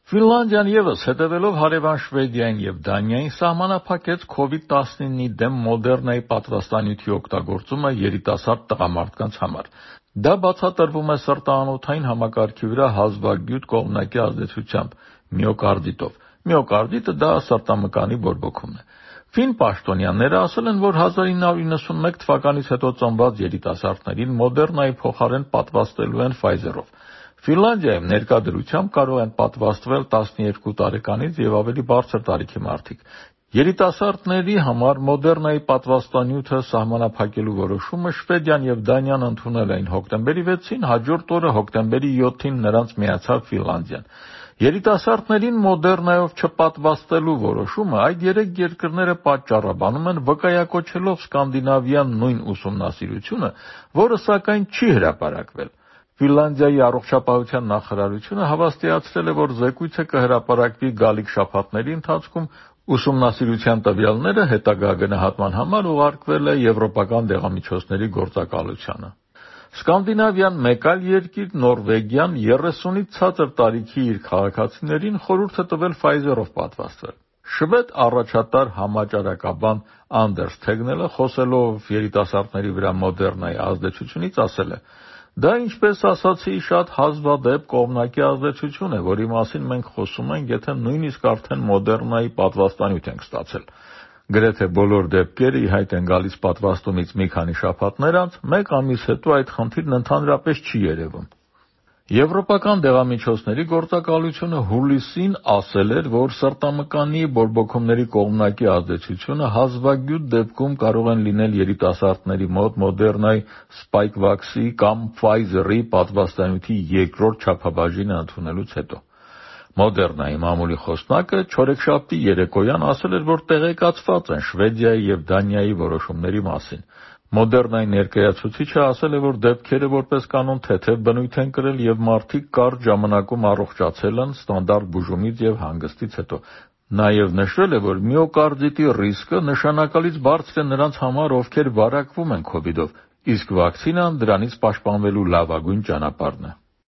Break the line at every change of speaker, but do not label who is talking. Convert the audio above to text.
Ֆինլանդիան ևս հետևելով հարևան Շվեդիային եւ Դանիային սահմանափակեց COVID-19-ի դեմ Մոդեռնայի պատվաստանյութի օգտագործումը երիտասարդ տղամարդկանց համար։ Դա բացատրվում է սրտանոթային համակարգի վրա հազվագյուտ կողմնակի ազդեցությամբ՝ միոկարդիտով։ Միոկարդիտը դա սրտամկանի բորբոքումն է։ Ֆին պաշտոնյաները ասել են, որ 1991 թվականից հետո ծնված երիտասարդներին Մոդեռնայի փոխարեն պատվաստելու են Pfizer-ով։ Ֆինլանդիայում ներկա դրությամբ կարող են պատվաստվել 12 տարեկանից եւ ավելի բարձր տարիքի մարդիկ։ Երիտասարդների համար Մոդեռնայի պատվաստանյութը սահմանափակելու որոշումը Շվեդիան եւ Դանիան ընդունել էին հոկտեմբերի 6-ին, հաջորդ օրը հոկտեմբերի 7-ին նրանց միացավ Ֆինլանդիան։ Երիտասարդներին Մոդեռնայով չպատվաստելու որոշումը այդ երեք երկրները պատճառաբանում են վկայակոչելով սկանդինավյան նույն ուսումնասիրությունը, որը սակայն չի հրապարակվել։ Ֆինլանդիայի առողջապահության նախարարությունը հավաստիացրել է, որ զեկույցը կհրապարակվի գալիք շաբաթների ընթացքում։ Ուսումնասիրության տվյալները հետագա գնահատման համար ուղարկվել է Եվրոպական դեղամիջոցների գործակալությանը։ Սկանդինավյան մեկ այլ երկիր Նորվեգիան 30-ից ցածր տարիքի իր քաղաքացիներին խորհուրդ է տվել Pfizer-ով պատվաստվել։ Շվեդ առաջատար համաճարակաբան Անդերս Թեգնելը, խոսելով երիտասարդների վրա Մոդեռնայի ազդեցությունից, ասել է. «Դա, ինչպես ասացի, շատ հազվադեպ կողմնակի ազդեցություն է, որի մասին մենք խոսում ենք, եթե նույնիսկ արդեն Մոդեռնայի պատվաստանյութ ենք ստացել։ Գրեթե բոլոր դեպքերը ի հայտ են գալիս պատվաստումից մի քանի շաբաթներ անց, մեկ ամիս հետո այդ խնդիրն ընդհանրապես չի երևում»։ Եվրոպական դեղամիջոցների գործակալությունը հուլիսին ասել էր, որ սրտամկանի բորբոքումների կողմնակի ազդեցությունը հազվագյուտ դեպքում կարող են լինել երիտասարդների մոտ Մոդեռնայի Spikevax-ի կամ Pfizer-ի պատվաստանյութի երկրորդ չափաբաժինը ընդունելուց հետո։ Մոդեռնայի մամուլի խոսնակը չորեքշաբթի երեկոյան ասել էր, որ տեղեկացված են Շվեդիայի եւ Դանիայի որոշումների մասին։ Մոդեռնայի ներկայացուցիչը ասել է, որ դեպքերը որպես կանոն թեթև բնույթ են կրել եւ մարդիկ կարճ ժամանակում առողջացել են ստանդարտ բուժումից եւ հանգստից հետո։ Նաեւ նշվել է, որ միոկարդիտի ռիսկը նշանակալից բարձր է նրանց համար, ովքեր վարակվում են COVID-ով, իսկ վակցինան դրանից պաշտպանվելու լավագույն ճանապարհն է։